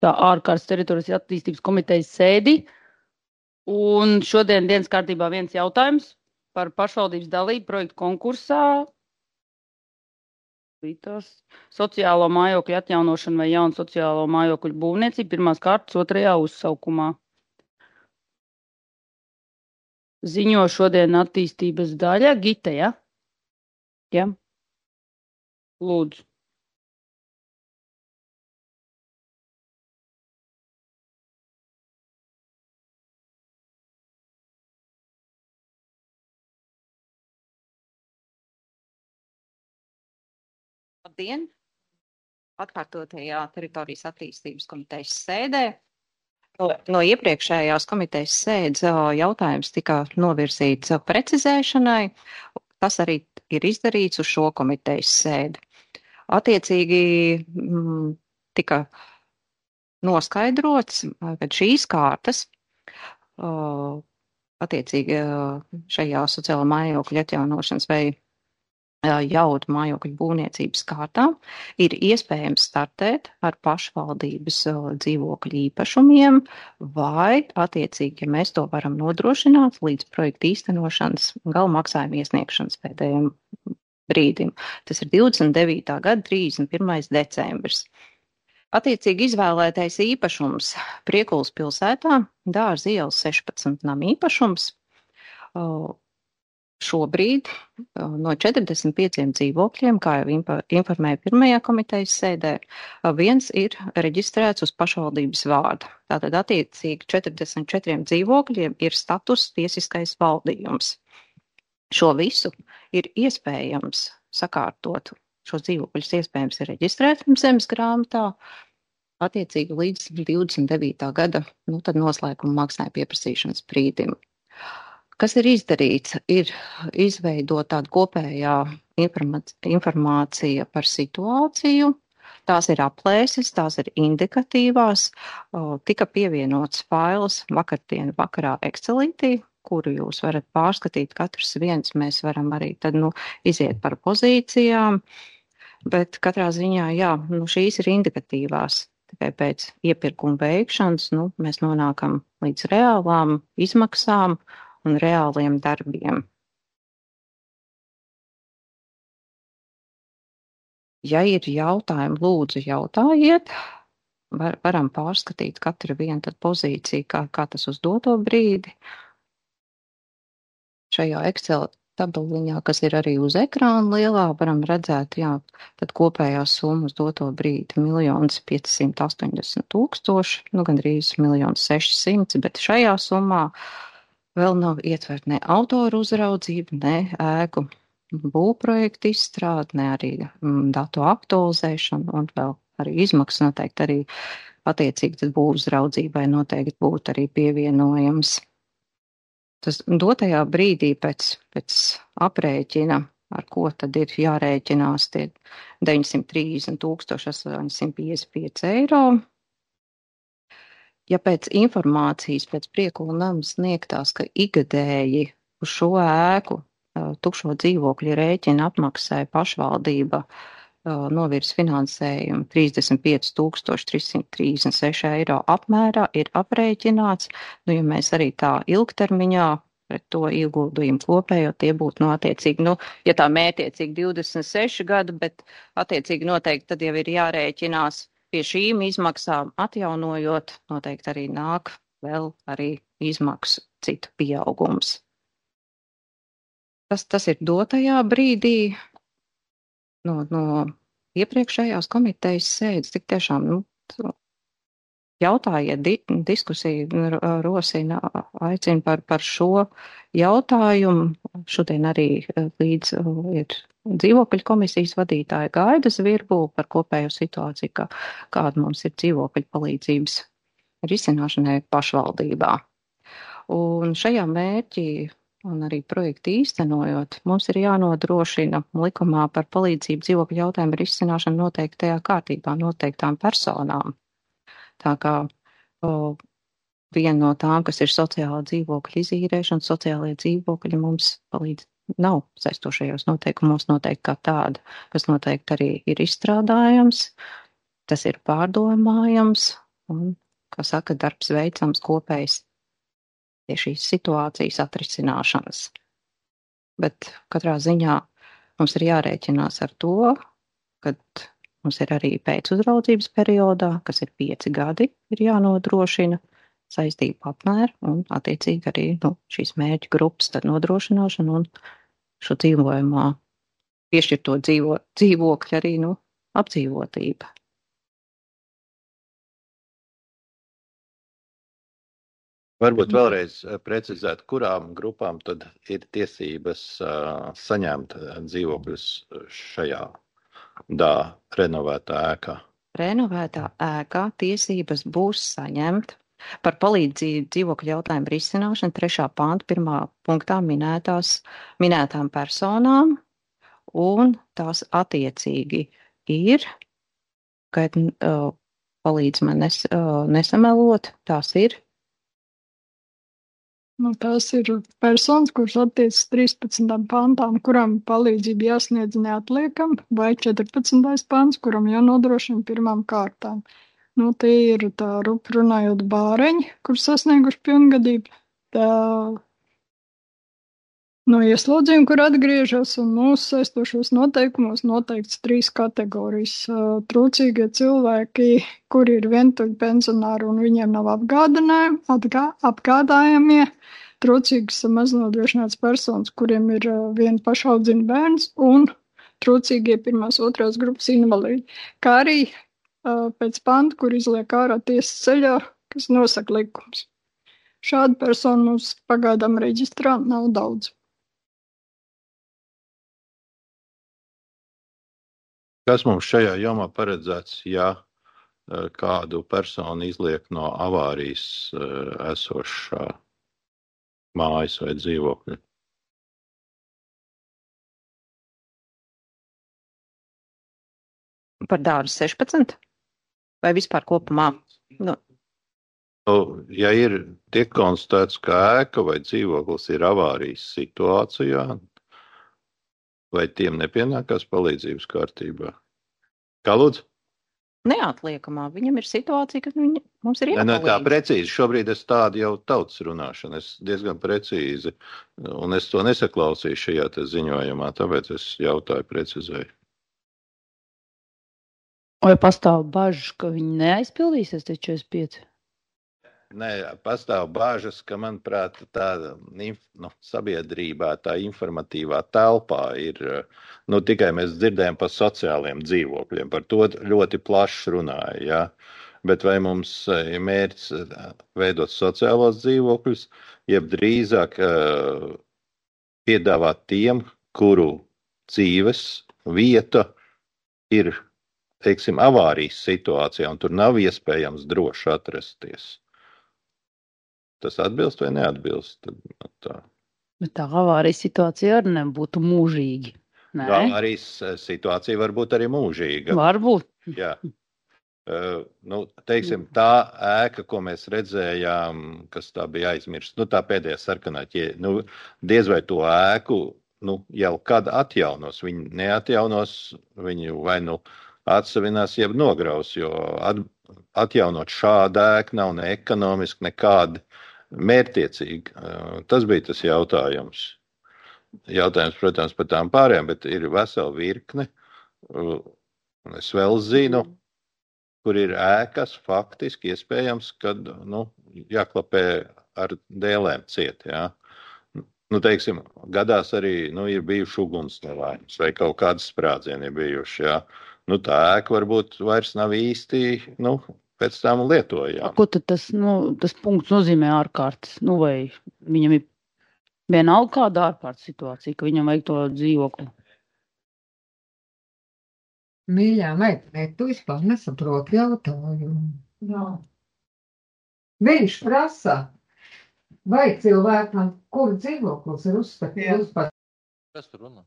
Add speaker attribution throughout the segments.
Speaker 1: tā ārkārtas teritorijas attīstības komitejas sēdi. Un šodien dienas kārtībā viens jautājums par pašvaldības dalību projektu konkursā. Sociālo mājokļu atjaunošanu vai jaunu sociālo mājokļu būvniecību pirmās kārtas otrajā uzsaukumā. Ziņo šodien attīstības daļa. Gita, ja? Ja? Lūdzu.
Speaker 2: Labdien! Atkārtotajā teritorijas attīstības komitejas sēdē. No iepriekšējās komitejas sēdes jautājums tika novirzīts precizēšanai. Tas arī ir izdarīts uz šo komitejas sēdi. Attiecīgi tika noskaidrots, ka šīs kārtas attiecīgi šajā sociālā mājokļa atjaunošanas vai jaudu mājokļu būvniecības kārtā ir iespējams startēt ar pašvaldības dzīvokļu īpašumiem vai, attiecīgi, ja mēs to varam nodrošināt līdz projekta īstenošanas gala maksājuma iesniegšanas pēdējiem brīdim. Tas ir 29. gada 31. decembris. Attiecīgi izvēlētais īpašums Priekulas pilsētā, Dārza ielas 16 nama īpašums. Šobrīd no 45 dzīvokļiem, kā jau informēja pirmajā komitejas sēdē, viens ir reģistrēts uz pašvaldības vārdu. Tātad attiecīgi 44 dzīvokļiem ir status tiesiskais valdījums. Šo visu ir iespējams sakārtot. Šos dzīvokļus iespējams ir reģistrēt zemes grāmatā, attiecīgi līdz 29. gada tad noslēguma maksājuma pieprasīšanas brīdim. Kas ir izdarīts? Ir izveidot tādu kopējā informācija par situāciju. Tās ir aplēses, tās ir indikatīvās. Tika pievienots fails vakardien vakarā Excelītī, kuru jūs varat pārskatīt katrs viens. Mēs varam arī tad iziet par pozīcijām, bet katrā ziņā, šīs ir indikatīvās. Tikai pēc iepirkuma veikšanas mēs nonākam līdz reālām izmaksām un reāliem darbiem. Ja ir jautājumi, lūdzu jautājiet. Varam pārskatīt katru vienu tad pozīciju, kā tas uz doto brīdi. Šajā Excel tabeliņā, kas ir arī uz ekrāna lielā, varam redzēt, tad kopējā summa uz doto brīdi 1 580 000, gandrīz 1 600 000, bet šajā summā vēl nav ietvert ne autoru uzraudzību, ne ēku būvprojektu izstrādi, ne arī datu aktualizēšanu un vēl arī izmaksas noteikti arī attiecīgi tad būvuzraudzībai noteikti būtu arī pievienojams. Tas dotajā brīdī pēc aprēķina, ar ko tad ir jārēķinās tie 930 855 eiro. Ja pēc informācijas, pēc Priekula nama sniegtās, ka igadēji uz šo ēku tukšo dzīvokļu rēķina apmaksāja pašvaldība novirs finansējumu 35 336 eiro apmērā, ir aprēķināts, ja mēs arī tā ilgtermiņā pret to ieguldījumu kopējo, tie būtu attiecīgi, ja tā mērķiecīgi 26 gadu, bet attiecīgi noteikti tad jau ir jārēķinās pie šīm izmaksām atjaunojot, noteikti arī nāk vēl arī izmaksu citu pieaugums. Tas ir dotajā brīdī no iepriekšējās komitejas sēdes. Tik tiešām jautājiet, diskusiju rosina, aicina par šo jautājumu. Šodien arī līdz ir dzīvokļu komisijas vadītāja Gaida Zvirbu par kopējo situāciju, kāda mums ir dzīvokļu palīdzības risināšanai pašvaldībā. Un šajā mērķī un arī projektu īstenojot, mums ir jānodrošina likumā par palīdzību dzīvokļu jautājumu risināšanu noteiktajā kārtībā noteiktām personām. Tā kā viena no tām, kas ir sociālā dzīvokļa izīrēšana, sociālajie dzīvokļi mums palīdz nav saistošajos noteikumos noteikti kā tāda, kas noteikti arī ir izstrādājams, tas ir pārdomājams un, kā saka, darbs veicams kopējs pie šīs situācijas atrisināšanas. Bet katrā ziņā mums ir jārēķinās ar to, ka mums ir arī pēcuzraudzības periodā, kas ir 5 gadi, ir jānodrošina saistību apmēru un attiecīgi arī šīs mērķu grupas tad nodrošināšana un šo dzīvojumā piešķirto dzīvokļu arī apdzīvotība.
Speaker 3: Varbūt vēlreiz precizēt, kurām grupām tad ir tiesības saņemt dzīvokļus šajā renovētā ēkā?
Speaker 2: Renovētā ēkā tiesības būs saņemt par palīdzību dzīvokļu jautājumu risināšanu 3. panta 1. punktā minētām personām, un tās attiecīgi ir, kad palīdz man nesamelot, tās ir.
Speaker 4: Tās ir personas, kuras attiecas 13. pantām, kuram palīdzība jāsniedz neatliekam, vai 14. pants, kuram jānodrošina pirmām kārtām. Tie ir tā rupi runājot bāreņi, kur sasnieguši pilngadību, tā no ieslodzījuma, kur atgriežas, un mūsu saistošos noteikumos noteikts 3 kategorijas. Trūcīgie cilvēki, kuri ir vientuļi pensionāri un viņiem nav apgādājamie, trūcīgas maznodrošinātas personas, kuriem ir viena pašaudzina bērns, un trūcīgie 1. 2. grupas invalīdi, kā arī pēc panta, kur izliek ārā tiesas ceļā, kas nosaka likums. Šādu personu mums pagaidām reģistrā nav daudz.
Speaker 3: Kas mums šajā jomā paredzēts, ja kādu personu izliek no avārijas esošā mājas vai dzīvokļa?
Speaker 2: Par dārzu 16? Vai vispār kopumā?
Speaker 3: Ja tiek konstatēts, ka ēka vai dzīvoklis ir avārijas situācijā, vai tiem nepienākās palīdzības kārtībā? Kā lūdzu?
Speaker 2: Neatliekamā. Viņam ir situācija, ka mums ir jāpalīdz.
Speaker 3: Tā precīzi. Šobrīd es tādu jau tautas runāšanu. Es diezgan precīzi, un es to nesaklausīju šajā ziņojumā, tāpēc es jautāju precizēju.
Speaker 1: Vai pastāv bažas, ka viņi neaizpildīsies tie 45?
Speaker 3: Nē, pastāv bāžas, ka, manuprāt, tā sabiedrībā, tā informatīvā telpā ir, tikai mēs dzirdējam par sociāliem dzīvokļiem, par to ļoti plaši runāja, ja? Bet vai mums ir mērķis veidot sociālos dzīvokļus, jeb drīzāk piedāvāt tiem, kuru dzīves vieta ir, teiksim, avārijas situācijā, un tur nav iespējams droši atrasties. Tas atbilst vai neatbilst?
Speaker 1: Bet tā avārijas situācija arī nebūtu mūžīgi. Nē?
Speaker 3: Avārijas situācija var būt arī mūžīga.
Speaker 1: Varbūt.
Speaker 3: Jā. Teiksim, tā ēka, ko mēs redzējām, kas tā bija aizmirsta, tā pēdējā sarkanā ķēde, diez vai to ēku, jau kad atjaunos. Viņi neatjaunos, viņu vai atsavinās, jeb nograus, jo atjaunot šādu ēku nav ne ekonomiski, nekādi mērķtiecīgi. Tas bija tas jautājums. Jautājums, protams, par tām pārējām, bet ir vesela virkne. Es vēl zinu, kur ir ēkas faktiski iespējams, kad jāklapē ar dēlēm ciet. Ja? Teiksim, gadās arī ir bijuši ugunsnelaimes vai kaut kādas sprādzieni ir bijuši. Ja? Tā ēka varbūt vairs nav īsti pēc tam lietojām.
Speaker 1: Ko tad tas punkts nozīmē ārkārtas? Vai viņam ir vienalga kāda ārkārtas situācija, ka viņam vajag to dzīvokli?
Speaker 5: Mīļā meitene, tu vispār nesaproti jautājumu. Jā. Viņš prasa, vai cilvēkam, kur dzīvoklis ir uzskatīts par...
Speaker 3: Kas tur runā?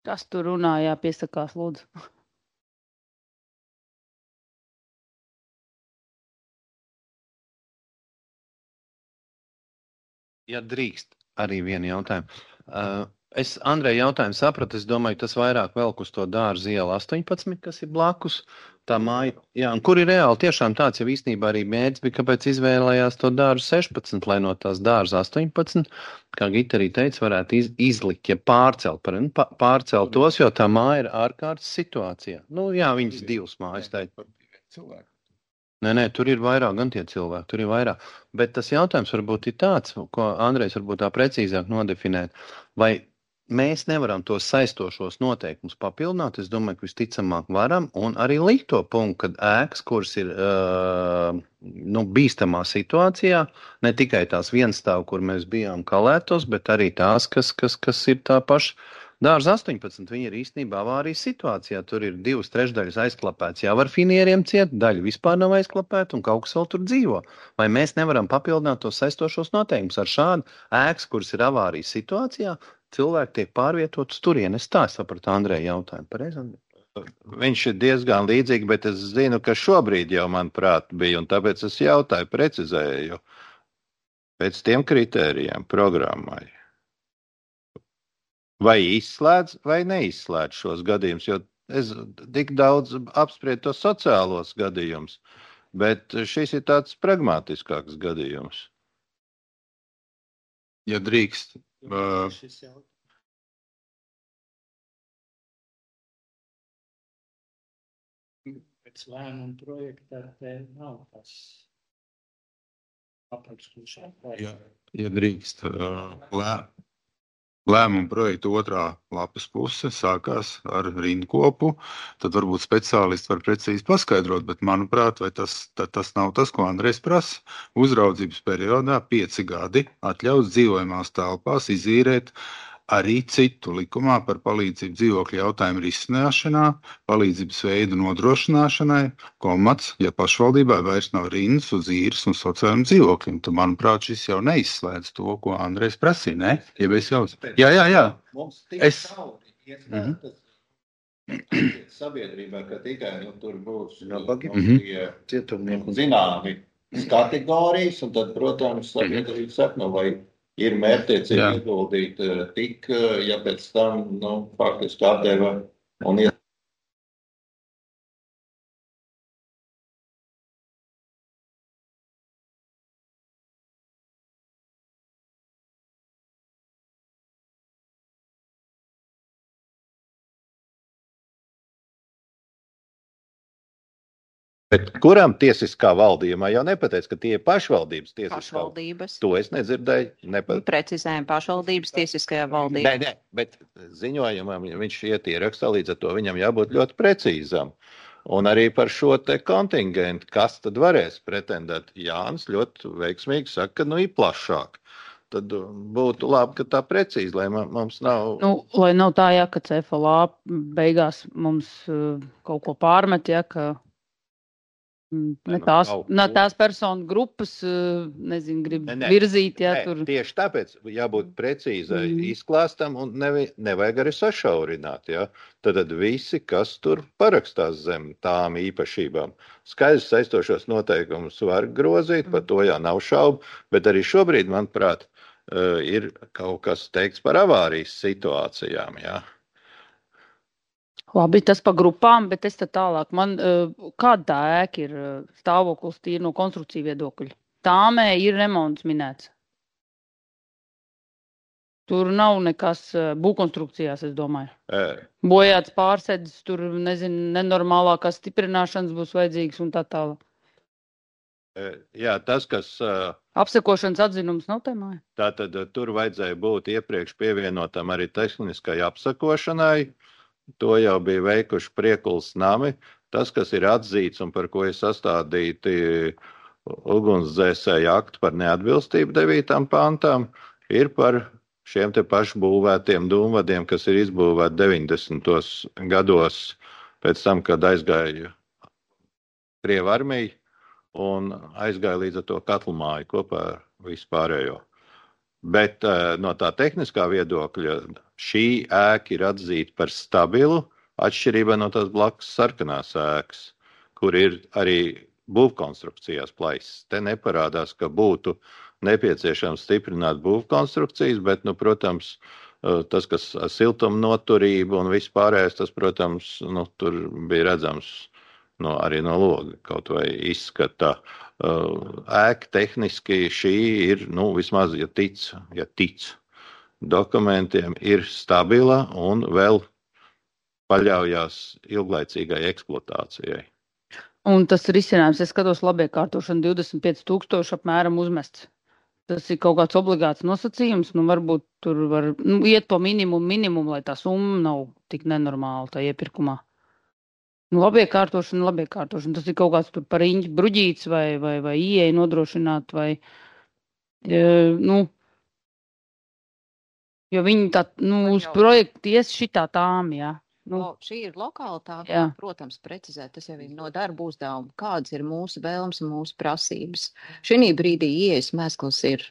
Speaker 1: Kas tur runā, jā, piesakās, lūdzu.
Speaker 3: Ja drīkst, arī vienu jautājumu. Es Andrei jautājumu sapratu, es domāju, tas vairāk velk uz to dārza iela 18, kas ir blakus. Tā māja, jā, un kur ir reāli tiešām tāds jau īstenībā arī mērķis bija, kāpēc izvēlējās to dārzu 16, lai no tās dārza 18, kā Gita arī teica, varētu izlikt, ja pārcelt tos, jo tā māja ir ārkārtas situācijā. Nu jā, viņas divas mājas teica. Nē, tur ir vairāk, gan tie cilvēki, tur ir vairāk. Bet tas jautājums varbūt ir tāds, ko Andrejs varbūt tā precīzāk nodefinēt, vai mēs nevaram tos saistošos noteikumus papildināt, es domāju, ka visticamāk varam, un arī likt to punktu, kad ēkas, kuras ir bīstamā situācijā, ne tikai tās vienstāv, kur mēs bijām kalētos, bet arī tās, kas ir tā paša dārza 18, viņi ir īstenībā avārijas situācijā, tur ir 2/3 aizklapēts, jau ar finieriem ciet, daļa vispār nav aizklapēta un kaut kas vēl tur dzīvo. Vai mēs nevaram papildināt tos saistošos noteikumus ar šādu ēkas, kuras ir avārijas situācijā, cilvēki tiek pārvietotas turien. Es tā sapratu Andreja jautājumu. Pareizi? Viņš ir diezgan līdzīgi, bet es zinu, ka šobrīd jau, manuprāt, bija, un tāpēc es jautāju, precizēju pēc tiem kritērijiem programmai. Vai izslēdz vai neizslēdz šos gadījumus, jo es tik daudz apspriedu tos sociālos gadījumus, bet šis ir tāds pragmatiskāks gadījums.
Speaker 6: Ja drīkst.
Speaker 7: Pēc lēmuma projekta te nav tas aprakstūšana.
Speaker 6: Ja drīkst. Lēmuma projekta otrā lapas puse sākās ar rindkopu, tad varbūt speciālisti var precīzi paskaidrot, bet manuprāt, vai tas nav tas, ko Andrejs prasa. Uzraudzības periodā 5 gadi atļaus dzīvojamās telpās izīrēt arī citu likumā par palīdzību dzīvokļu jautājumu risināšanā, palīdzības veidu nodrošināšanai, ja pašvaldībā vairs nav rindas uz īres un sociāliem dzīvokļiem. Tad, manuprāt, šis jau neizslēdz to, ko Andrejs prasīja, ne? Ja es jau... Jā.
Speaker 3: Mums tik sabiedrībā, ka tikai tur būs zināmi kategorijas, un tad, protams, sabiedrība saka, vai ir mērķtiecīgi ieguldīt tik, ja pēc tam, faktiski atdeva un Bet kuram tiesiskā valdījumā jau nepateica, ka tie ir pašvaldības tiesiskā?
Speaker 2: Pašvaldības.
Speaker 3: To es nedzirdēju.
Speaker 2: Precizējam pašvaldības tiesiskajā valdībā.
Speaker 3: Nē, bet ziņojumam viņš iet ierakstā, līdz ar to viņam jābūt ļoti precīzam. Un arī par šo te kontingentu, kas tad varēs pretendēt. Jānis ļoti veiksmīgi saka, ka ir plašāk. Tad būtu labi, ka tā precīzi, lai mums nav...
Speaker 1: Lai nav tā, ka CFLA beigās mums kaut ko pārmet, ka... tās personu grupas, grib virzīt, tur.
Speaker 3: Tieši tāpēc jābūt precīzai izklāstam un nevajag arī sašaurināt, Tad visi, kas tur parakstās zem tām īpašībām. Skaidrs saistošos noteikumus var grozīt, par to jau nav šaubu, bet arī šobrīd, manuprāt, ir kaut kas teikts par avārijas situācijām,
Speaker 1: Labi, tas pa grupām, bet es tad tālāk. Kāda tā ēka ir stāvoklis tīri no konstrukcija viedokļa? Tāmē ir remonts minēts. Tur nav nekas būvkonstrukcijās, es domāju. Bojāts pārsēdis, tur, nenormālākās stiprināšanas būs vajadzīgas un tā tālāk.
Speaker 3: Jā, tas, kas...
Speaker 1: Apsekošanas atzinums nav tēmāja?
Speaker 3: Tātad tur vajadzēja būt iepriekš pievienotam arī tehniskai apsekošanai. To jau bija veikuši Priekulas nami. Tas, kas ir atzīts un par ko ir sastādīti ugunsdzēsēju akti par neatbilstību 9. pantām, ir par šiem te pašbūvētiem dūmvadiem, kas ir izbūvēti 90. gados pēc tam, kad aizgāja Krievu armija un aizgāja līdz ar to katlmāju kopā ar vispārējo. Bet no tā tehniskā viedokļa šī ēka ir atzīta par stabilu, atšķirībā no tās blakus sarkanās ēkas, kur ir arī būvkonstrukcijās plaisas. Te neparādās, ka būtu nepieciešams stiprināt būvkonstrukcijas, bet, protams, Tas, kas siltuma noturība un viss pārējais, tas, protams, tur bija redzams arī no loga kaut vai izskata. Ēka tehniski šī ir, vismaz, ja tic dokumentiem, ir stabila un vēl paļaujās ilglaicīgai eksploatācijai.
Speaker 1: Un tas risinājums, es skatos labiekārtošanu 25,000 apmēram uzmests. Tas ir kaut kāds obligāts nosacījums, varbūt tur var iet po minimumu, lai tā summa nav tik nenormāla tā iepirkumā. Labiekārtošana. Tas ir kaut kāds tur par riņķi bruģīts vai ieeja nodrošināt vai, jo viņi tā, uz projektu ies šitā tām, jā.
Speaker 2: Šī ir lokalitāte,
Speaker 1: Jā.
Speaker 2: protams, precizēt, tas jau ir no darba uzdevuma, kādas ir mūsu vēlmes un mūsu prasības. Šī brīdī ieejas mēsklis ir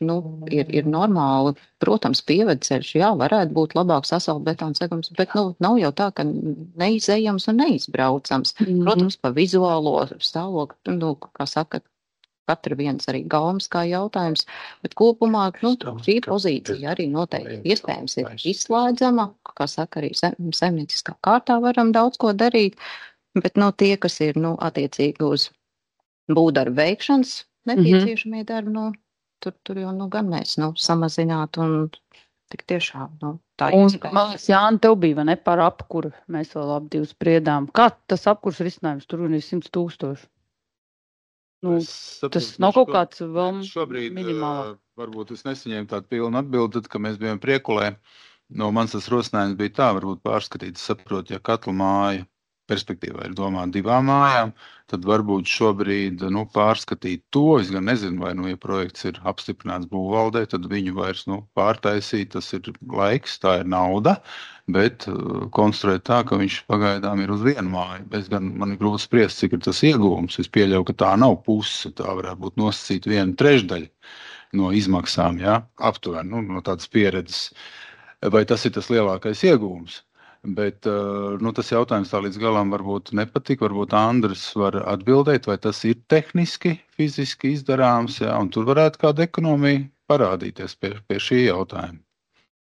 Speaker 2: normāli, protams, pievedceļš, jā, varētu būt labāks asfaltbetona segums, bet nav jau tā, ka neizejams un neizbraucams. Protams, pa vizuālo stāvokli, kā saka, katra viens arī gaumas kā jautājums, bet kopumā šī pozīcija arī noteikti iespējams ir izslēdzama, kā saka, arī saimnieciskā kārtā varam daudz ko darīt, bet tie, kas ir attiecīgi uz būvdarbu veikšanas nepieciešamie darbi, tur jau gan mēs samazināt un tik tiešām tā iespējams.
Speaker 1: Un, man liekas, Jāni, tev bija, vai ne, par apkuru, mēs vēl ap divu spriedām. Kā tas apkurs risinājums tur ir 100,000? Tas nav kaut kāds vēl minimālāk.
Speaker 6: Varbūt es nesaņēmu tādu pilnu atbildi, tad, kad mēs bijām Priekulē. Mans tas rosinājums bija tā, varbūt pārskatīt, saprot, ja katla māja perspektīvā ir domāta 2 mājām, tad varbūt šobrīd pārskatīt to. Es gan nezinu, vai ja projekts ir apstiprināts būvvaldē, tad viņu vairs pārtaisīt, tas ir laiks, tā ir nauda, bet konstruēt tā, ka viņš pagaidām ir uz 1 māju. Man ir grūti spriest, cik ir tas ieguvums. Es pieļauju, ka tā nav puse, tā varētu būt nosacīt 1/3 no izmaksām, ja? Aptuveni, no tādas pieredzes. Vai tas ir tas lielākais ieguvums? Bet tas jautājums tā līdz galam varbūt nepatika. Varbūt Andris var atbildēt, vai tas ir tehniski, fiziski izdarāms, ja? Un tur varētu kāda ekonomija parādīties pie šī jautājuma.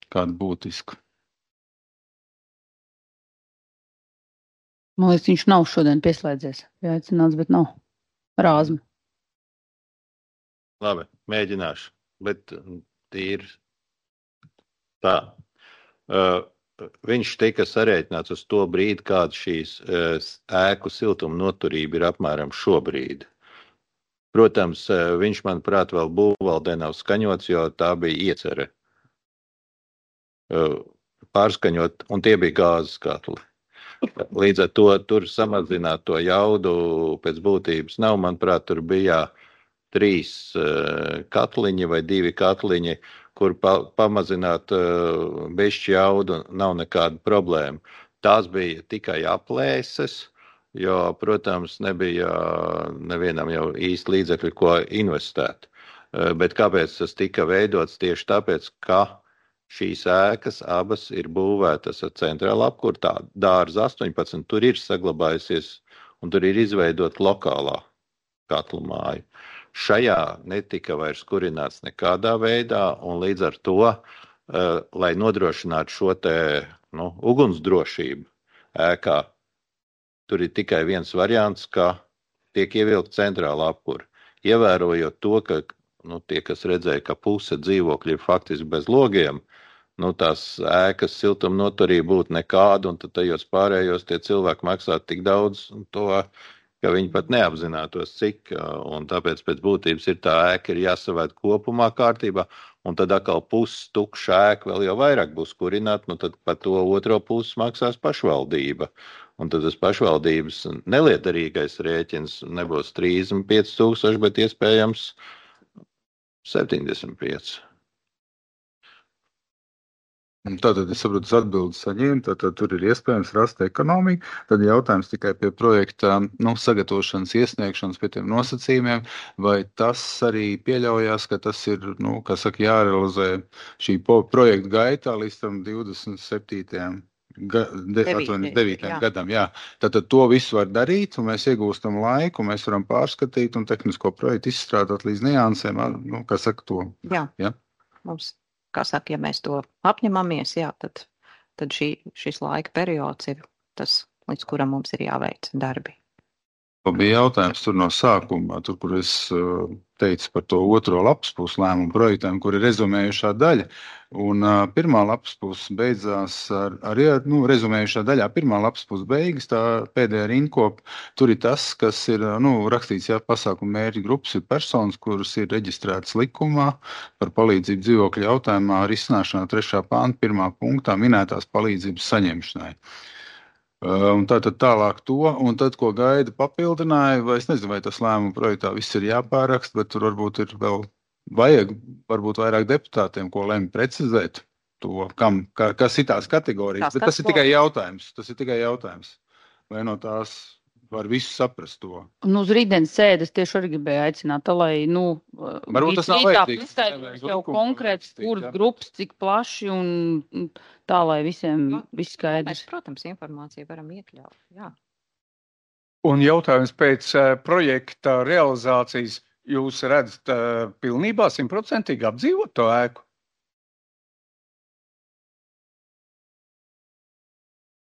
Speaker 6: Kāda būtiska.
Speaker 1: Man liekas, viņš nav šodien pieslēdzies. Jāicināts, bet nav. Rāzma.
Speaker 3: Labi, mēģināšu. Bet tīri tā. Viņš tika sarēķināts uz to brīdi, kāda šīs ēku siltuma noturība ir apmēram šobrīd. Protams, viņš, manuprāt, vēl būvvaldē nav skaņots, jo tā bija iecere pārskaņot, un tie bija gāzes katli. Līdz ar to tur samazināt to jaudu pēc būtības nav. Manuprāt, tur bija 3 katliņi vai 2 katliņi, kur pamazināt bišķi jaudu nav nekāda problēma. Tās bija tikai aplēses, jo, protams, nebija nevienam jau īsti līdzekļi, ko investēt. Bet kāpēc tas tika veidots? Tieši tāpēc, ka šīs ēkas abas ir būvētas ar centrālu apkuru, tā dārza 18, tur ir saglabājusies un tur ir izveidot lokālā katlu māju. Šajā netika vairs kurināts nekādā veidā, un līdz ar to, lai nodrošinātu šo te ugunsdrošību ēkā, tur ir tikai viens variants, ka tiek ievilkt centrāla apkura. Ievērojot to, ka tie, kas redzēja, ka puse dzīvokļi ir faktiski bez logiem, tās ēkas siltuma noturība būtu nekāda, un tad tajos pārējos tie cilvēki maksā tik daudz to, ka viņi pat neapzinātos, cik, un tāpēc pēc būtības ir tā ēka ir jāsavērt kopumā kārtībā, un tad atkal puses tukša ēka vēl jau vairāk būs kurināt, tad par to otro pusi maksās pašvaldība. Un tad tas pašvaldības neliederīgais rēķins nebūs 35,000, bet iespējams 75.
Speaker 6: Tātad es saprotu, atbildes saņēmu, tātad tur ir iespējams rast ekonomiku. Tad jautājums tikai pie projekta sagatavošanas, iesniegšanas pie tiem nosacījumiem, vai tas arī pieļaujās, ka tas ir, jārealizē šī projekta gaitā līdz tam 27. 9. gadam. Jā. Tātad to visu var darīt, un mēs iegūstam laiku, mēs varam pārskatīt un tehnisko projektu izstrādāt līdz niansēm, to.
Speaker 2: Jā. Mums kā saka, ja mēs to apņemamies, jā, tad šis laika periods ir tas, līdz kuram mums ir jāveic darbi.
Speaker 6: Bija jautājums tur no sākuma, tur, kur es teicu par to otro lapuspusi lēmumu projektām, kur ir rezumējušā daļa. Un pirmā lapuspusi beidzās ar rezumējušā daļā. Pirmā lapuspusi beigas, tā pēdējā rindkopa. Tur ir tas, kas ir rakstīts, pasākumu mērķi grupas ir personas, kuras ir reģistrētas likumā par palīdzību dzīvokļu jautājumā risināšanā 3. pānta 1. punktā minētās palīdzības saņemšanai. Un tātad tālāk to, un tad, ko Gaida papildināja, vai es nezinu, vai tas lēmuma projektā viss ir jāpārakst, bet tur varbūt ir vēl vajag, varbūt vairāk deputātiem, ko lemj precizēt to, kas ir tās kategorijas, bet tas ir tikai jautājums. Vai no tās var visu saprast to?
Speaker 1: Un uz rītdienas sēdes tieši arī gribēju aicināt, lai,
Speaker 6: varbūt tas nav vajadzīgs.
Speaker 1: Jau konkrēts, kuras grupas, cik plaši un tā, lai visiem viss skaidrs.
Speaker 2: Mēs, protams, informāciju varam iekļaut, jā.
Speaker 8: Un jautājums pēc projekta realizācijas, jūs redzat pilnībā 100% apdzīvot to ēku?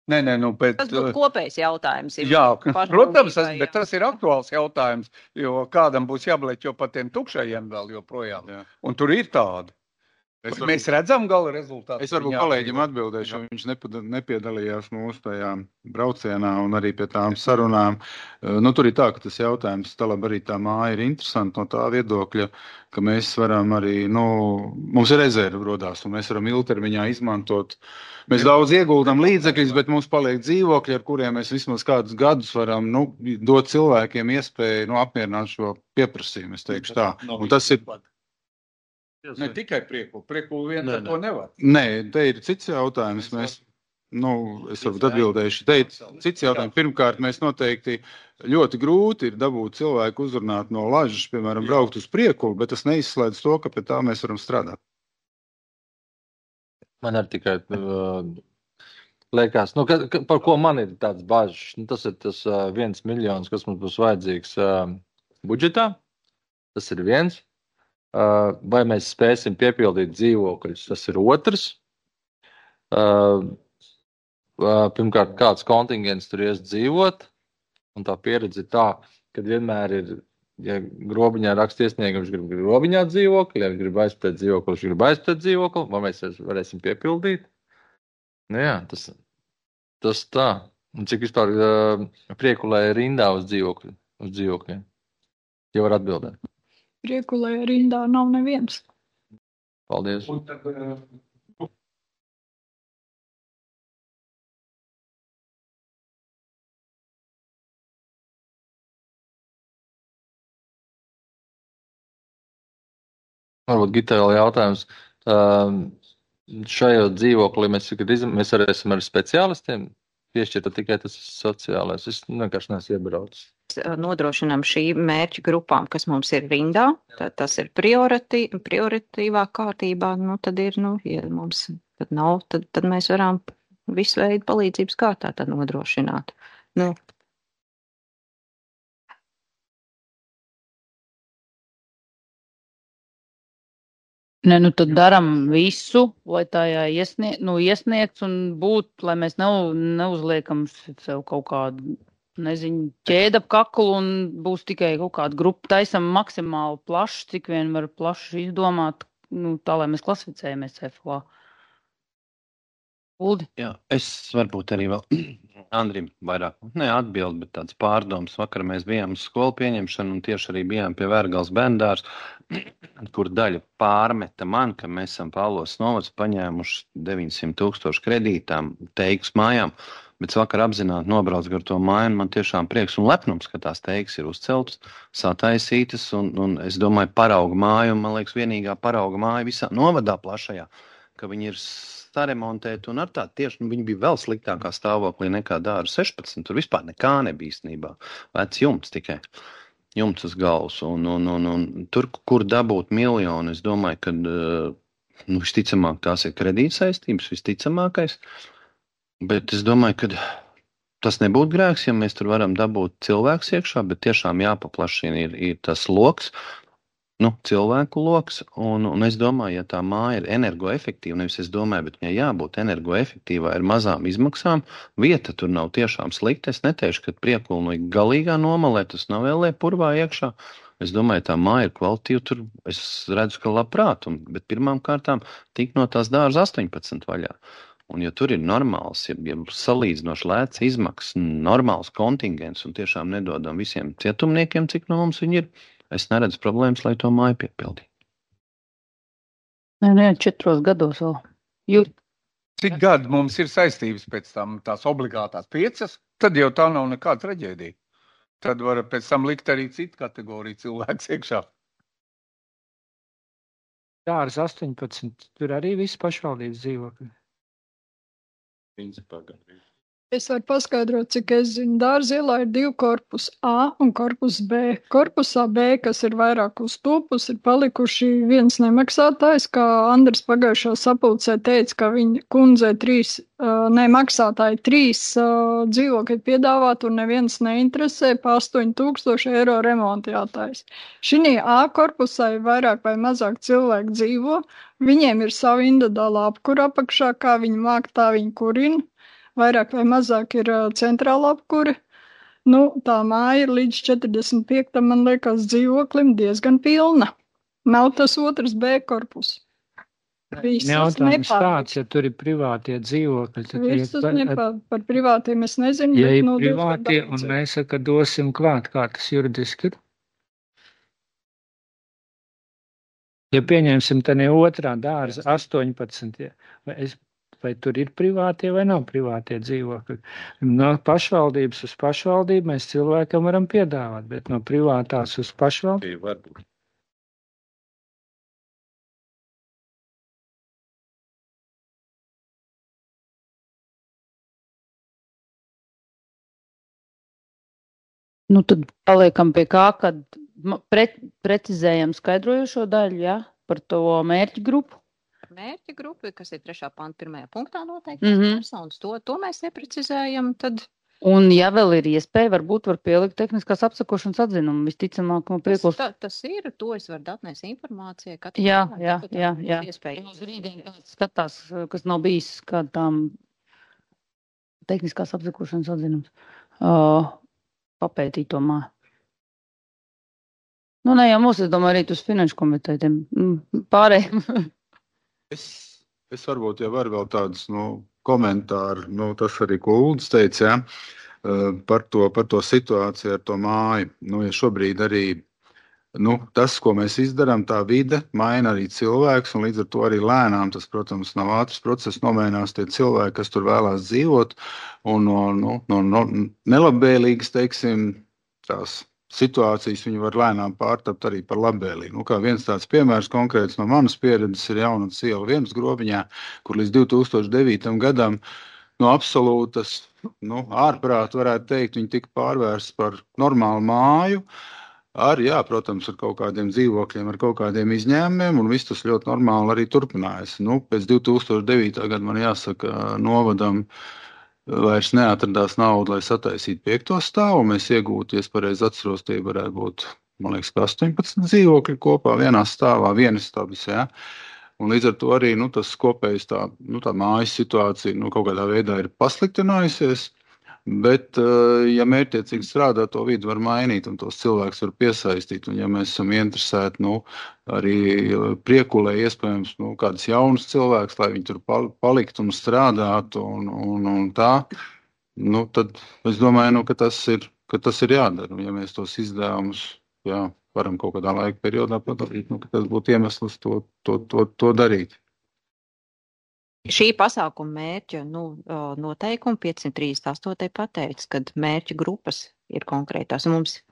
Speaker 8: Nē, bet...
Speaker 2: Tas būtu kopējs jautājums.
Speaker 8: Jā, protams, bet tas ir aktuāls jautājums, jo kādam būs jābleķo par tiem tukšajiem vēl joprojām. Jā. Un tur ir tādi. Mēs redzam gala rezultātu.
Speaker 6: Es varbūt kolēģim atbildēšu, jo viņš nepiedalījās mūsu tajā braucienā un arī pie tām sarunām. Tur ir tā, ka tas jautājums, arī tā māja ir interesanti no tā viedokļa, ka mēs varam arī, mums ir rezerve rodās un mēs varam ilgtermiņā izmantot. Mēs daudz ieguldam līdzekļus, bet mums paliek dzīvokļi, ar kuriem mēs vismaz kādus gadus varam dot cilvēkiem iespēju apmierināt šo pieprasījumu, es teikšu tā. Un tas ir...
Speaker 8: Ne tikai priekulu vien to nevar.
Speaker 6: Nē, te ir cits jautājums. Es varbūt atbildēšu. Te ir cits jautājums. Pirmkārt, mēs noteikti ļoti grūti ir dabūt cilvēku uzrunāt no Lažas, piemēram, braukt uz priekulu, bet tas neizslēdz to, ka pie tā mēs varam strādāt.
Speaker 9: Man arī tikai liekas, par ko man ir tāds bažas. Tas ir tas 1 miljons, kas mums būs vajadzīgs budžetā. Tas ir viens. Vai mēs spēsim piepildīt dzīvokļus, tas ir otrs. Pirmkārt, kāds kontingents tur ies dzīvot, un tā pieredze ir tā, ka vienmēr ir, ja grobiņā raksta iesniegums, grib grobiņā dzīvokli, ja grib aizpēt dzīvokli, grib aizpēt dzīvokli, vai mēs varēsim piepildīt. Jā, tas tā. Un cik vispār priekulē rindā uz dzīvokļiem? Ja var atbildēt.
Speaker 4: Priekulē rindā nav neviens.
Speaker 9: Paldies. Varbūt Gitāla jautājums. Šajā dzīvoklī mēs varēsim ar speciālistiem piešķirt tikai tas sociālais. Es vienkārši neesmu iebraucis.
Speaker 2: Nodrošinām šī mērķa grupām, kas mums ir rindā, tas ir prioritīvā kārtībā, tad ir, ja mums tad nav, tad mēs varam visu veidu palīdzības kārtā tad nodrošināt.
Speaker 1: Tad daram visu, lai tajā iesniegts un būt, lai mēs neuzliekam sev kaut kādu, ķēda ap kaklu un būs tikai kaut kāda grupa. Taisam maksimāli plaši, cik vien var plaši izdomāt, tā, lai mēs klasificējamies CFLA. Uldi?
Speaker 10: Jā, es varbūt arī vēl Andrim vairāk, atbild, bet tāds pārdoms. Vakar mēs bijām uz skolu pieņemšanu un tieši arī bijām pie Vērgals bērndārs, kur daļa pārmeta man, ka mēs esam Pāvlos novads paņēmuši 900,000 kredītām teiks mājām, bet vakar apzināti nobrauc gar to māju, man tiešām prieks un lepnums, ka tās teiks ir uzceltas, sataisītas, un es domāju parauga māju, man liekas vienīgā parauga māja visā novadā plašajā, ka viņi ir saremontēti un ar tā tieši, viņi bija vēl sliktākā stāvoklī nekā Dāra 16, tur vispār nekā nebija īstenībā, vec jumts tikai. Jumts uz galvas, un tur, kur dabūt miljonu, es domāju, ka visticamāk tās ir kredītsaistības, visticamākais, bet es domāju, ka tas nebūtu grēks, ja mēs tur varam dabūt cilvēks iekšā, bet tiešām jāpaplašina ir tas loks, cilvēku loks, un es domāju, ja tā māja ir energoefektīva, nevis es domāju, bet viņai jābūt energoefektīvai ar mazām izmaksām, vieta tur nav tiešām slikta. Es neteikšu, ka priekulnīgi galīgā nomalē, tas nav vēl purvā iekšā. Es domāju, tā māja ir kvalitīva, tur es redzu, ka labprāt, bet pirmām kārtām tik no tās dārza 18 vaļā. Un ja tur ir normāls, ja salīdzinoši lēts izmaksas, normāls kontingents un tiešām nedodam visiem cietumniekiem, cik no mums viņi ir, es neredzu problēmas, lai to māju piepildītu.
Speaker 1: Nē, 4 gados vēl.
Speaker 8: Cik gadi mums ir saistības pēc tam tās obligātās 5, tad jau tā nav nekāda traģēdija. Tad var pēc tam likt arī citu kategoriju cilvēks iekšā.
Speaker 7: Dārza 18, tur arī viss pašvaldības dzīvokļi.
Speaker 3: Principā gandrīz.
Speaker 4: Es varu paskaidrot, cik es zinu. Dārza ielā ir 2 korpusi A un korpus B. Korpusā B, kas ir vairāk uz tupus, ir palikuši viens nemaksātājs, kā Andris pagājušā sapulcē teica, ka viņa kundzei 3 dzīvokļi piedāvāt un neviens neinteresē, pa 8,000 eiro remonta jātais. Šī A korpusā ir vairāk vai mazāk cilvēku dzīvo, viņiem ir sava individuāla apkura apakšā, kā viņi māk, tā viņi kurina. Vairāk vai mazāk ir centrāla apkure. Tā māja ir līdz 45, man liekas, dzīvoklim diezgan pilna. Nav tas otrs B korpus.
Speaker 7: Jautājums tāds, ja tur ir privātie dzīvokļi, tad
Speaker 4: par privātiem es nezinu.
Speaker 7: Ja ir privātie un mēs dosim klāt, kā tas juridiski ir. Ja pieņemsim tā ne otrā dārza 18, vai tur ir privātie vai nav privātie dzīvokļi. No pašvaldības uz pašvaldību mēs cilvēkam varam piedāvāt, bet no privātās uz pašvaldību
Speaker 3: varbūt.
Speaker 1: Tad paliekam pie kā, kad precizējam skaidrojošo daļu, ja, par to mērķu grupu.
Speaker 2: Mērķa grupa, kas ir 3. panta 1. punktā noteikti personas, to mēs neprecizējam, tad...
Speaker 1: Un ja vēl ir iespēja, varbūt var pielikt tehniskās apsakošanas atzinumu, visticamāk, no priekšlikums.
Speaker 2: Tas ir, to es varu atnest informācijai.
Speaker 1: Jā. Uz rītdien kāds skatās, kas nav bijis kādām tehniskās apsakošanas atzinums. Papētīt to māju. Jā, mums, es domāju, arī uz finanšu komiteju pārējiem.
Speaker 6: Es varbūt jau varu vēl tādus komentāru, tas arī, ko Uldis teica, par to situāciju ar to māju. Ja šobrīd arī tas, ko mēs izdarām, tā vide maina arī cilvēks, un līdz ar to arī lēnām tas, protams, nav ātrs process, nomainās tie cilvēki, kas tur vēlās dzīvot, un no nelabvēlīgas, teiksim, tās situācijas viņi var lēnām pārtapt arī par labvēlīgu. Kā viens tāds piemērs konkrēts no manas pieredzes ir Jaunats iela 1 Grobiņā, kur līdz 2009. gadam absolūtas ārprāt varētu teikt, viņi tika pārvērsts par normālu māju, protams, ar kaut kādiem dzīvokļiem, ar kaut kādiem izņēmumiem, un viss tas ļoti normāli arī turpinājās. Pēc 2009. gada man jāsaka, novadam vairs neatradās nauda, lai sataisītu 5. stāvu. Mēs iegūtu, ja es pareizi atceros, tie varētu būt, man liekas, 18 dzīvokļi kopā vienā stāvā, vienas stabas, Un līdz ar to arī tas kopējs tā mājas situācija kaut kādā veidā ir pasliktinājusies. Bet, ja mērķtiecīgi strādā, to vidi var mainīt un tos cilvēkus var piesaistīt. Un, ja mēs esam interesēti arī priekulē, iespējams, kādas jaunas cilvēkus, lai viņi tur paliktu un strādātu un tā, tad es domāju, ka tas ir jādara. Un, ja mēs tos izdevumus varam kaut kādā laika periodā padarīt, ka tas būtu iemesls to darīt.
Speaker 2: Šī pasākuma mērķa noteikumi 538. pateica, kad mērķa grupas ir konkrētās. Mums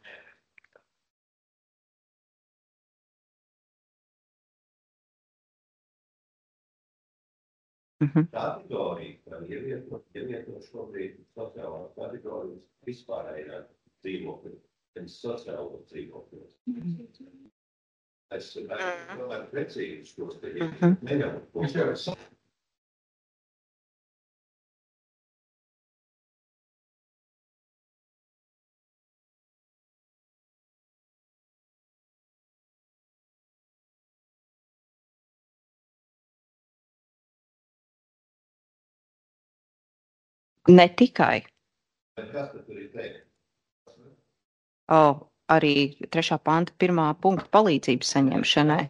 Speaker 3: kategorija, kā ievieto šobrīd sociālās kategorijas vispārējā dzīvokļa, sociālo dzīvokļos. Es tomēr precīzi šos te neļauju.
Speaker 2: Ne tikai.
Speaker 3: Kas tad tur ir teikt?
Speaker 2: Arī 3. panta 1. punkta palīdzības saņemšanai.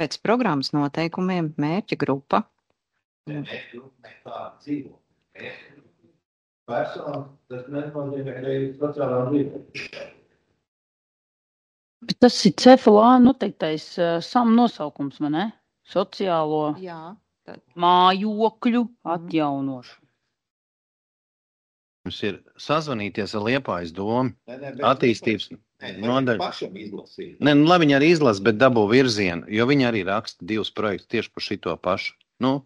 Speaker 2: Pēc programmas noteikumiem mērķa grupa.
Speaker 3: Persona, tas nenozīmē, ka ir sociālā dzīve.
Speaker 1: Bet tas ir CFLA noteiktais SAM nosaukums, vai ne? Sociālo mājokļu atjaunošanu.
Speaker 10: Mums ir sazvanīties ar Liepājas domu, attīstības nodaļu.
Speaker 3: Pašam izlasīt.
Speaker 10: Ne, nu, labi, viņi arī izlasa, bet dabū virzienu, jo viņi arī raksta 2 projektus tieši par šito pašu. Nu,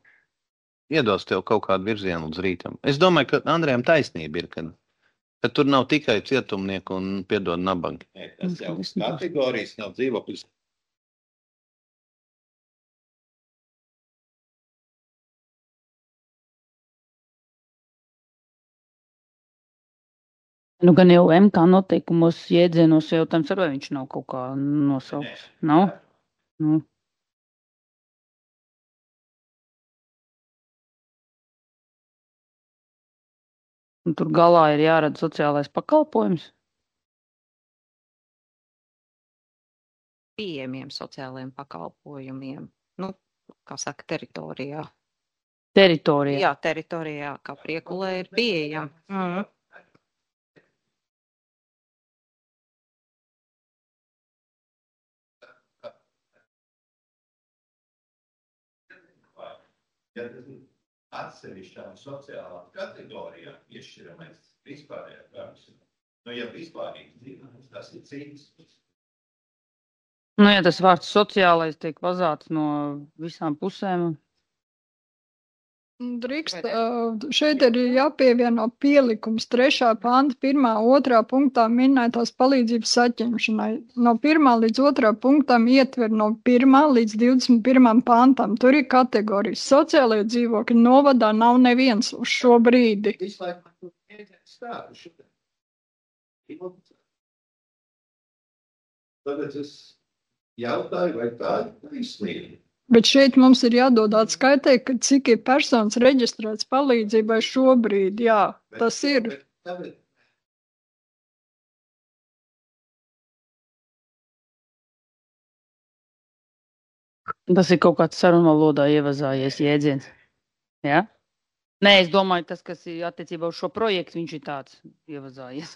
Speaker 10: iedos tev kaut kādu virzienu līdz rītam. Es domāju, ka Andrejam taisnība ir, ka tur nav tikai cietumnieku un piedod nabangi.
Speaker 3: Tas jau kategorijas nav dzīvokļus.
Speaker 1: Nu, gan jau MK noteikumos jēdzienos jautājums, vai viņš nav kaut kā nosaukts. Nav? Nu. Un tur galā ir jārada sociālais pakalpojums.
Speaker 2: Pieejamiem sociālajiem pakalpojumiem. Nu, kā saka, teritorijā.
Speaker 1: Teritorijā.
Speaker 2: Jā, teritorijā, kā Priekulē ir pieejama.
Speaker 3: Ja tas ir atsevišķām sociālām kategorijām iešķiramais vispārējā kārtas. Nu, ja vispārīgi dzīvojums, tas ir cits.
Speaker 1: Nu, ja tas vārds sociālais tiek vazāts no visām pusēm.
Speaker 4: Drīkst, šeit ir jāpievieno pielikums 3. panta 1. 2. punktā minētās palīdzības saņemšanai. No 1. līdz 2. punktam ietver no 1. līdz 21. pantam. Tur ir kategorijas. Sociālajie dzīvokļi novadā nav neviens uz šo brīdi.
Speaker 3: Tagad es jautāju, vai tā ir taisnība.
Speaker 4: Bet šeit mums ir jādod atskaitē, ka cik ir personas reģistrēts palīdzībai šobrīd. Jā, tas ir.
Speaker 1: Tas ir kaut kāds sarunvalodā ievazājies jēdziens. Jā? Nē, es domāju, tas, kas ir attiecībā uz šo projektu, viņš ir tāds ievazājies.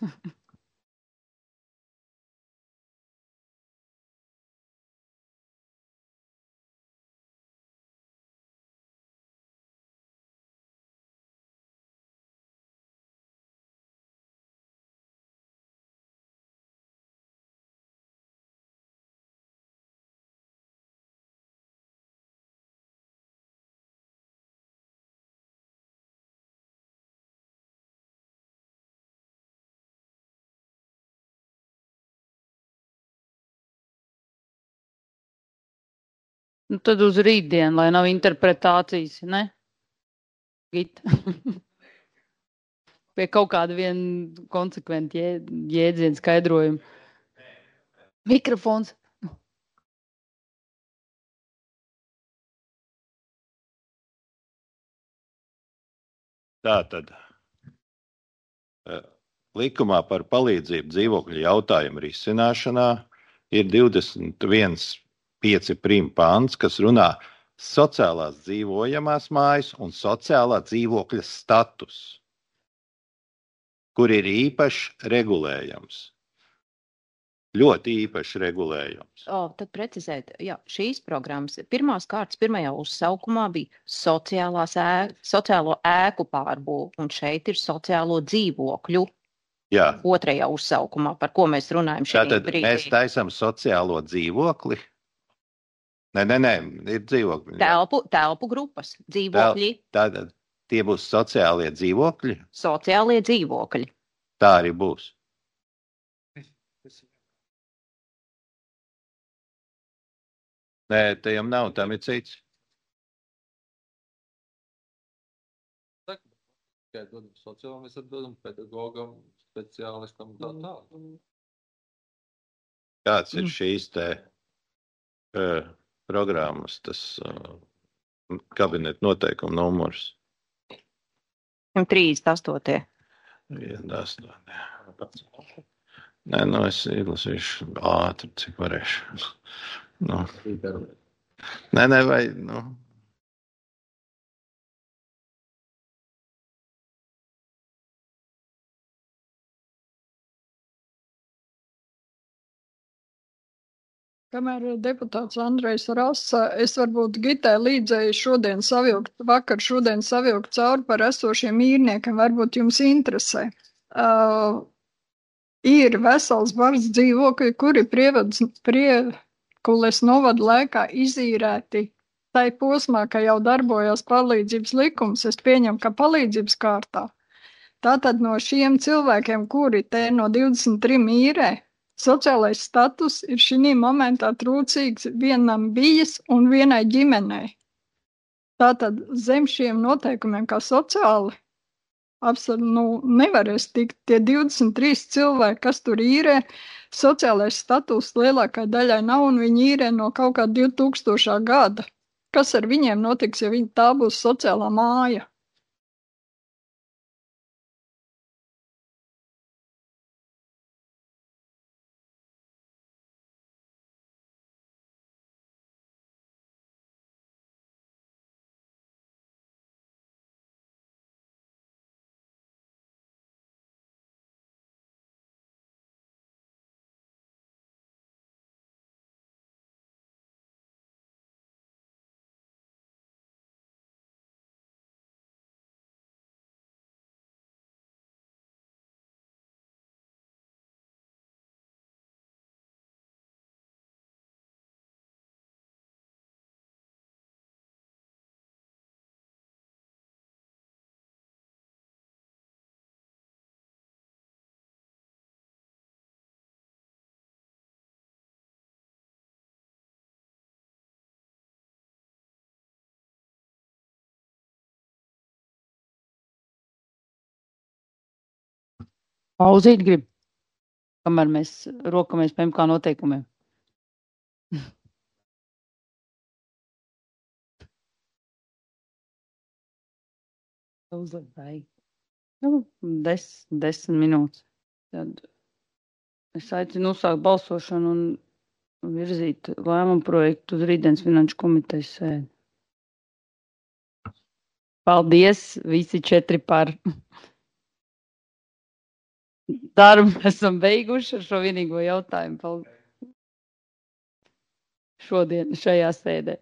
Speaker 1: Nu, tad uz rītdienu, lai nav interpretācijas, ne? Gita. Pie kaut kāda viena konsekventa jēdziena skaidrojuma. Mikrofons.
Speaker 3: Tātad likumā par palīdzību dzīvokļu jautājumu risināšanā ir 21.5 prim pants, kas runā sociālās dzīvojamās mājas un sociālā dzīvokļa status, kur ir īpašs regulējums. Ļoti īpašs regulējums.
Speaker 2: Tad precizēt, jā, šīs programmas pirmās kārtas pirmajā uzsaukumā bija sociālo ēku pārbūve, un šeit ir sociālo dzīvokļu.
Speaker 3: Jā.
Speaker 2: Otrajā uzsaukumā, par ko mēs runājam šeit
Speaker 3: Tātad
Speaker 2: brīdī.
Speaker 3: mēs taisam sociālo dzīvokli? Nē, ir dzīvokļi.
Speaker 2: Telpu grupas, dzīvokļi.
Speaker 3: Tātad tie būs sociālie dzīvokļi?
Speaker 2: Sociālie dzīvokļi.
Speaker 3: Tā arī būs. Nē, tajam nav, tam ir cits.
Speaker 9: Tikai dodam sociālam, mēs atdodam pedagogam, speciālistam tā tālāk.
Speaker 3: Kāds ir šīs te programmas, tas kabineta noteikuma numurs.
Speaker 2: 138.
Speaker 3: 1,8. Nē, es izlasīšu ātri, cik varēšu. Nē, vai,
Speaker 4: Kamēr deputāts Andrejs rasa, es varbūt Gitai līdzēju vakar šodien savilkt cauri par esošiem īrniekiem, varbūt jums interesē. Ir vesels bars dzīvokļi, kuri Priekules novada laikā izīrēti tai posmā, ka jau darbojās palīdzības likums, es pieņemu, ka palīdzības kārtā. Tātad no šiem cilvēkiem, kuri te no 23 īrē, sociālais status ir šī momentā trūcīgs vienam bijis un vienai ģimenei. Tātad zem šiem noteikumiem kā sociāli nevarēs tikt tie 23 cilvēki, kas tur īrē. Sociālais status lielākai daļai nav un viņi īrē no kaut kā 2000. gada. Kas ar viņiem notiks, ja tā būs sociālā māja?
Speaker 1: Pauzīt grib, kamēr mēs rokamies pēc kā noteikumiem. Uzlikt vajag. 10 minūtes. Tad es aicinu uzsākt balsošanu un virzīt lēmumu projektu uz rītdienas finanšu komitejas sēdi. Paldies, visi 4 par. Darbu esam beiguši ar šo vienīgo jautājumu. Šodien šajā sēdē.